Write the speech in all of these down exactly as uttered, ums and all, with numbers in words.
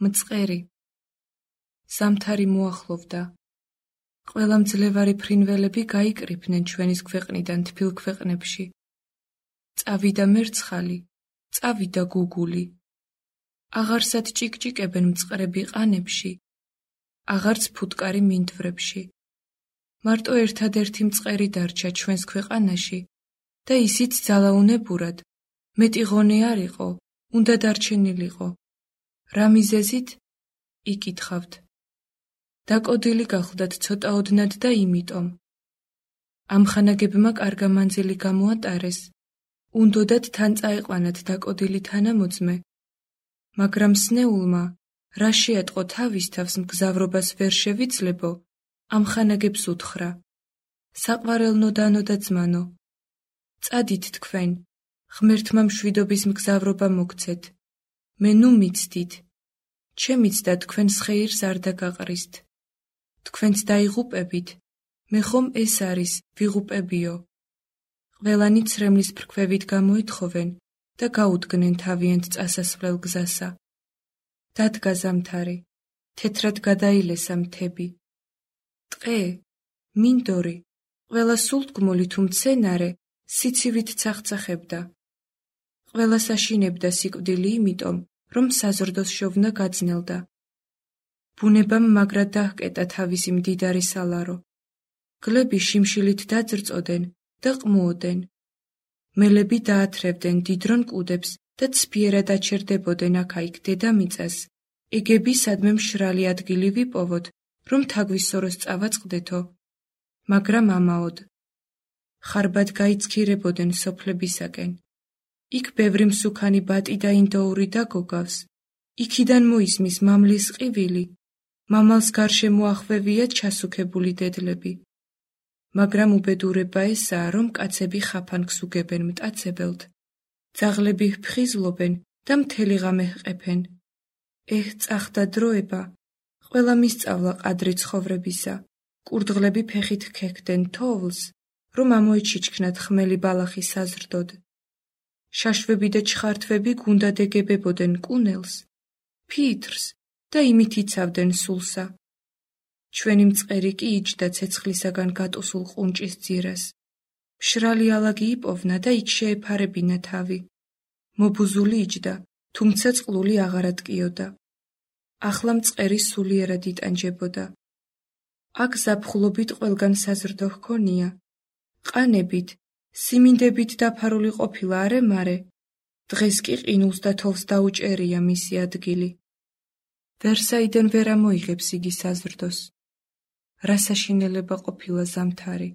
მწყერი. ზამთარი მოახლოვდა. ყველა მძლევარი ფრინველები გაიკრიფნენ ჩვენის ქვეყნიდან თბილ ქვეყნებში. წავიდა მერცხალი, წავიდა გუგული. აღარსად ჭიკჭიკებენ მწყრები ყანებში, აღარც ფუტკარი მინდვრებში. მარტო ერთადერთი მწყერი დარჩა ჩვენს ქვეყანაში და ისიც ძალაუნებურად, მეტი ღონე არ იყო, უნდა დარჩენილიყო. რა მიზეზით? იკითხავთ. დაკოდილი გახლდათ ცოტა ოდნად და იმიტომ. ამ ხანაგებმა კარგა მანძილი გამოატარეს, უნდოდათ თან წაეყვანათ დაკოდილი თანამოძმე, მაგრამ სნეულმა, რა შეატყო თავის თავს მგზავრობას ვერ შევიძლებო, ამ ხანაგებს უთხრა. საყვარელნო დანო და ძმანო, წადით თქვენ, ღმერთმა მშვიდობის მგზავრობა მოგცეთ. მე ნუ მიცდით, ჩემიც და თქვენს ხეირს არ დაგაყრისთ. თქვენც დაიღუპებით, მე ხომ ეს არის, ვიღუპებიო. ყველანი ცრემლის ფრქვევით გამოეთხოვენ და გაუდგნენ თავიანთ წასასვლელ გზასა. დადგა ზამთარი, თეთრად გადაილესა მთები. ტყე, მინდორი, ყველა სულთგმული თუ მცენარე სიცივით ცახცახებდა. ყველა საშინებდა სიკვდილი იმიტომ, რომ საზრდოს შოვნა გაძნელდა. ბუნებამ მაგრად დაჰკეტა თავისი მდიდარი სალარო. გლები შიმშილით დაძრწოდენ და ყმუოდენ. მელები დაათრევდნენ დიდრონ მკვდებს და ცფიერად აჩერდებოდნენ აქა-იქ დედამიწას. ეგები სადმე მშრალი ადგილი ვიპოვოთ, რომ თაგვისოროს წავაწყდეთო, მაგრამ ამაოდ. ხარბად გაიცქირებოდნენ სოფლებისაკენ. იქ ბევრი მსუქანი ბატი და ინდოური დაგოგავს. იქიდან მოისმის მამლის ყივილი, მამალს გარშემო ახვევია ჩასუქებული დედლები. მაგრამ უბედურება ესაა, რომ კაცები ხაფანგს უგებენ მტაცებელთ, ძაღლები ფხიზლობენ და მთელი ღამე ჰყეფენ. ეჰ, წახდა დროება, ყველა მისწავლა ყადრი ცხოვრებისა, კურდღლები ფეხით ქექდნენ თოვლს, რომ ამოიჩიჩქნათ ხმელი ბალახი საზრდოდ. შაშვები და ჩხართვები გუნდად ეგებებოდნენ კუნელს, ფითრს და იმით იცავდნენ სულსა. ჩვენი მწყერი კი იჯდა ცეცხლისაგან გატუსულ ყუნჭის ძირას. მშრალი ალაგი იპოვნა და იქ შეეფარებინა თავი. მობუზული იჯდა, თუმცა წყლული აღარ ატკიოდა. ახლა მწყერი სულიერად იტანჯებოდა. აქ ზაფხულობით ყველგან საზრდო ჰქონია. ყანებით, სიმინდებით დაფარული ყოფილა არე-მარე. დღეს კი ყინულს და თოვლს დაუჭერია მისი ადგილი. ვერსაიდან ვერ ამოიღებს იგი საზრდოს. რა საშინელება ყოფილა ზამთარი.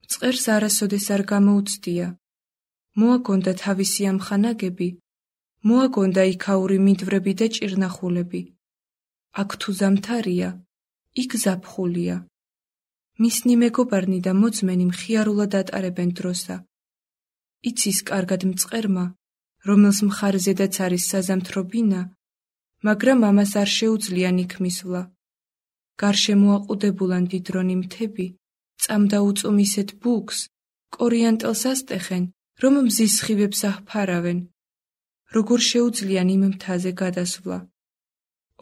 მწყერს არასოდეს არ გამოუცდია. მოაგონდა თავისი ამხანაგები, მოაგონდა იქაური მინდვრები და ჭირნახულები. აქ თუ ზამთარია, იქ ზაფხულია. მისნი მეგობარნი და მოძმენი მხიარულად ატარებენ დროსა. იცის კარგად მწყერმა, რომელს მხარზედაც არის საზამთრობინა, მაგრამ ამას არ შეუძლია იქ მისვლა. გარშემო აყუდებულან დიდრონი მთები, წამდა უწუმ ისეთ ბუქს, კორიანტელს ასტეხენ, რომ მზის სხივებს აჰფარავენ. როგორ შეუძლიან იმ მთაზე გადასვლა?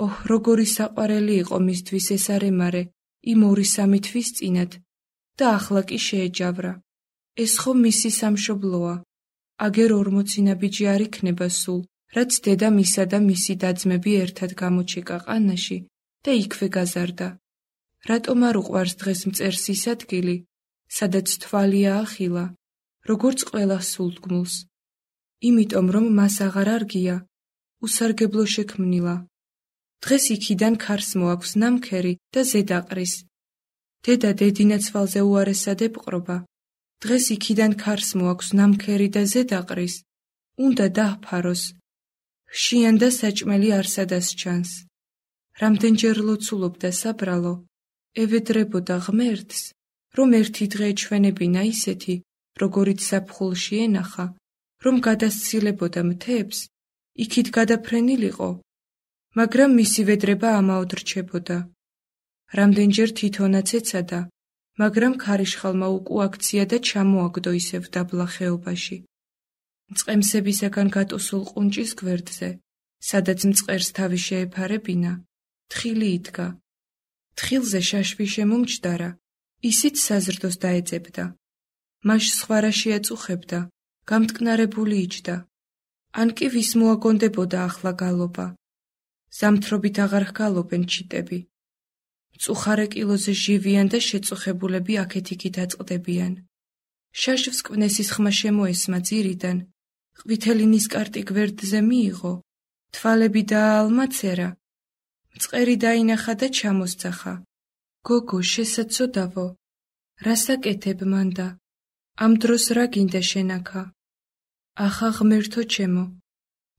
ოჰ, როგორი საყვარელი იყო მისთვის ეს არე-მარე, იმ ორი სამი თვის წინათ და ახლა კი შეეჯავრა. ეს ხომ მისი სამშობლოა. აგერ ორმოცი ნაბიჯი არ იქნება სულ, რაც დედა მისა და მისი დაძმები ერთად გამოჩეკა ყანაში და იქვე გაზარდა. რატომ არ უყვარს დღეს მწერს ის ადგილი, სადაც თვალია ახილა, როგორც ყველა სულთგმულს? იმიტომ რომ მას აღარ არგია, უსარგებლო შექმნილა. დღეს იქიდან ქარს მოაქვს ნამქერი და ზედაყრის. დედა დედინაცვალზე უარესად ეპყრობა. დღეს იქიდან ქარს მოაქვს ნამქერი და ზედაყრის. უნდა დაჰფაროს. ხშიან და საჭმელი არსადას ჩანს. რამდენჯერ ლოცულობდა საბრალო, ევედრებოდა ღმერთს, რომ ერთი დღე ჩვენებინა ისეთი, როგორიც ზაფხულში ენახა, რომ გადასცილებოდა მთებს, იქით გადაფრენილიყო, მაგრამ მისი ვედრება ამაოდ რჩებოდა. რამდენჯერ თვითონაც ეცადა, მაგრამ ქარიშხალმა უკუაქცია და ჩამოაგდო ისევ დაბლა ხეობაში. მწყემსებისაგან გატუსულ ყუნჭის გვერდზე, სადაც მწყერს თავი შეეფარებინა, თხილი იდგა. თხილზე შაშვი შემომჯდარა, ისიც საზრდოს დაეძებდა. მაშ სხვა რა შეაწუხებდა, გამტკნარებული იჯდა. ან კი ვის მოაგონდებოდა ახლა გალობა. ზამთრობით აღარ ჰგალობენ ჩიტები. მწუხარე კილოზე ჟივიან და შეწუხებულები აქეთ-იქით აწყდებიან. შაშვს კვნესის ხმა შემოესმა ძირიდან, ყვითელი ნისკარტი გვერდზე მიიღო, თვალები დააალმაცერა, მწყერი დაინახა და ჩამოსძახა. გოგო, შესაცოდავო, რას აკეთებ მანდა? ამ დროს რა გინდა შენაქა? ახა ღმერთო ჩემო,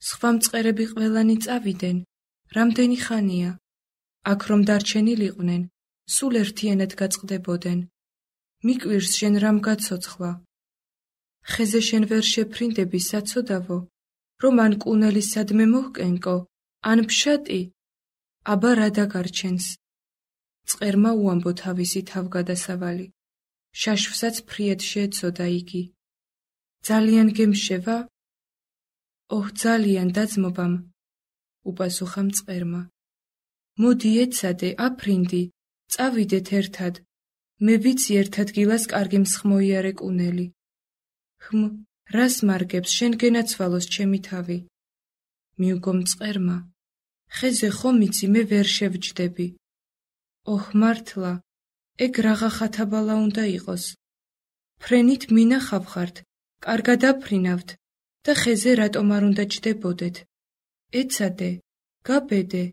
სხვა მწყერები ყველანი წავიდნენ, რამდენი ხანია? აქ რომ დარჩენილიყვნენ, სულ ერთიანად გაწყდებოდნენ. მიკვირს შენ რამ გაცოცხლა? ხეზე შენ ვერ შეფრინდები საცოდავო, რომ ან კუნელი სადმე მოჰკენკო, ან ფშატი? აბა რა დაგარჩენს? მწყერმა უამბო თავისი თავგადასავალი. შაშვსაც ფრიად შეეცოდა იგი. ძალიან გემშევა? ოჰ, ძალიან დაძმობამ, უპასუხა მწყერმა. მოდი ეცადე, აფრინდი, წავიდეთ ერთად. მე ვიცი ერთ ადგილას კარგი მსხმოიარე კუნელი. ხმ, რას მარგებს, შენ გენაცვალოს ჩემი თავი. მიუგო მწყერმა. ხეზე ხომ იცი, მე ვერ შევჯდები. ოჰ, მართლა, ეგ რაღა ხათაბალა უნდა იყოს. ფრენით მინახავხართ, კარგად აფრინავთ და ხეზე რატომ არ უნდა ჯდებოდეთ? ეცადე, გაბედე,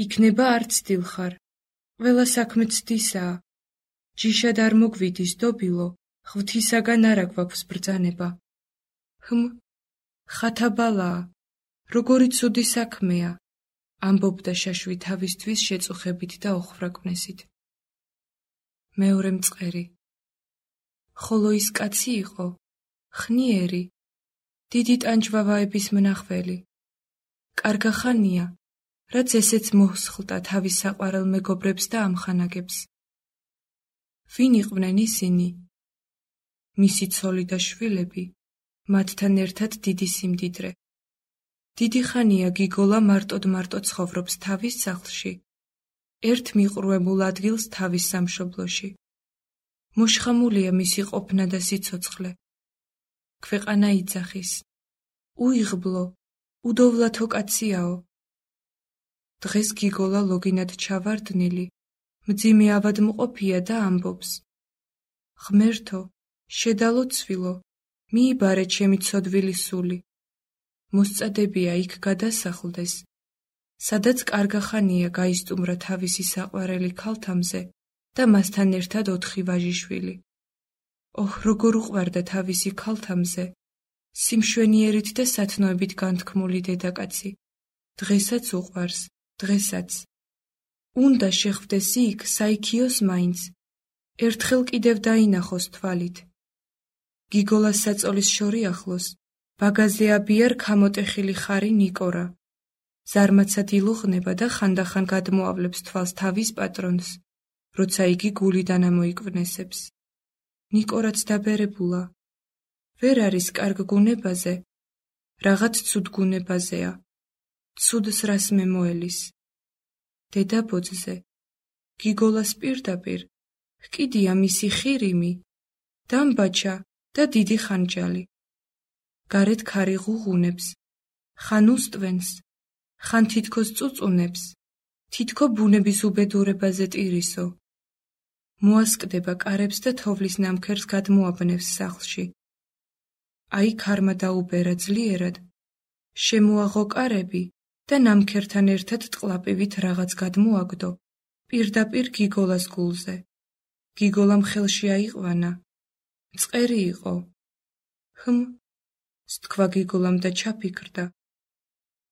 იქნება არც დილხარ. ყველა საქმე ცდისაა. ჯიშად არ მოგვიდის დობილო, ღვთისაგან არა გვაქვს ბრძანება. ჰმ, ხათაბალაა, როგორი ცუდი საქმეა, ამბობდა შაშვი თავისთვის შეწუხებით და ოხრაკვნესით. მეორე მწყერი. ხოლო ის კაცი იყო, ხნიერი, დიდი ტანჯვავაების მნახველი. კარგა ხანია, რაც ესეც მოჰსხლტა თავის საყვარელ მეგობრებს და ამხანაგებს. ვინ იყვნენ ისინი? მისი ცოლი და შვილები, მათთან ერთად დიდი სიმდიდრე. დიდი ხანია გიგოლა მარტოდ-მარტო ცხოვრობს თავის სახლში, ერთ მიყრუებულ ადგილს თავის სამშობლოში. მოშხამულია მისი ყოფნა და სიცოცხლე. ქვეყანა იძახის. უიღბლო, უდოვლათო კაციაო. დღეს გიგოლა ლოგინად ჩავარდნილი, მძიმე ავადმყოფია და ამბობს. ღმერთო, შედალო ცვილო, მიიბარე ჩემი ცოდვილი სული. მოსწადებია იქ გადასახლდეს, სადაც კარგა ხანია გაისტუმრა თავისი საყვარელი ქალთამზე და მასთან ერთად ოთხი ვაჟიშვილი. ოჰ, როგორ უყვარდა თავისი ქალთამზე, სიმშვენიერით და სათნოებით განთქმული დედაკაცი. დღესაც უყვარს, დღესაც. უნდა შეხვდეს იქ, საიქიოს მაინც, ერთხელ კიდევ დაინახოს თვალით. გიგოლას საწოლის შორი ახლოს, ბაგაზე აბიარ ქამოტეხილი ხარი ნიკორა. ზარმაცად ილუღნება და ხანდახან გადმოავლებს თვალს თავის პატრონს, როცა იგი გულიდან ამოიკვნესებს. ნიკორაც დაბერებულა. ვერ არის კარგ გუნებაზე, რაღაც ცუდ გუნებაზეა. ცუდს რას მემოელის. დედაბოძზე, გიგოლას პირდაპირ, ჰკიდია მისი ხირიმი, დამბაჩა და დიდი ხანჯალი. გარეთ ქარი ღუღუნებს, ხან უსტვენს, ხან თითქოს წუწუნებს, თითქო ბუნების უბედურებაზე ტირისო. მოასკდება კარებს და თოვლის ნამქერს გადმოაბნევს სახლში. აი ქარმა დაუბერა ძლიერად, შემოაღო კარები და ნამქერთან ერთად ტყლაპივით რაღაც გადმოაგდო, პირდაპირ გიგოლას გულზე. გიგოლამ ხელში აიყვანა. მწყერი იყო. ჰმ, სთქვა გიგოლამ და ჩაფიქრდა.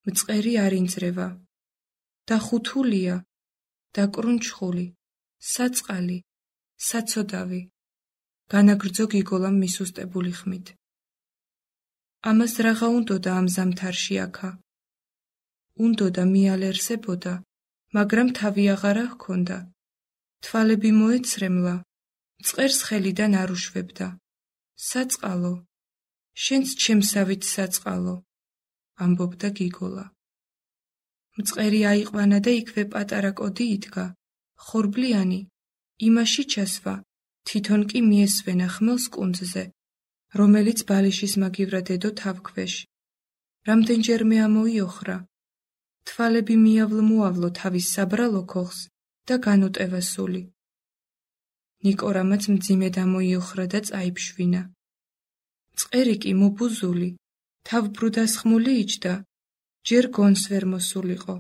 მწყერი არ ინძრევა. დახუთულია, დაკრუნჩხული, საწყალი, საცოდავი. განაგრძო გიგოლამ მისუსტებული ხმით. ამას რაღა უნდოდა ამ ზამთარში აქა. უნდოდა მიალერსებოდა, მაგრამ თავი აღარა ჰქონდა. თვალები მოეცრემლა, მწყერს ხელიდან არ უშვებდა. საწყალო, შენც ჩემსავით საწყალო, ამბობდა გიგოლა. მწყერი აიყვანა და იქვე პატარა კოდი იდგა, ხორბლიანი, იმაში ჩასვა, თვითონ კი მიესვენა ხმელს კუნძზე, რომელიც ბალიშის მაგივრად ედო თავქვეშ. რამდენჯერმე ამოიოხრა, თვალები მიავლ-მოავლო თავის საბრალო ქოხს და განუტევა სული. ნიკორამაც მძიმედ ამოიოხრა და წაიფშვინა. მწყერი კი მობუზული, თავბრუდასხმული იჯდა, ჯერ გონს ვერ მოსულიყო.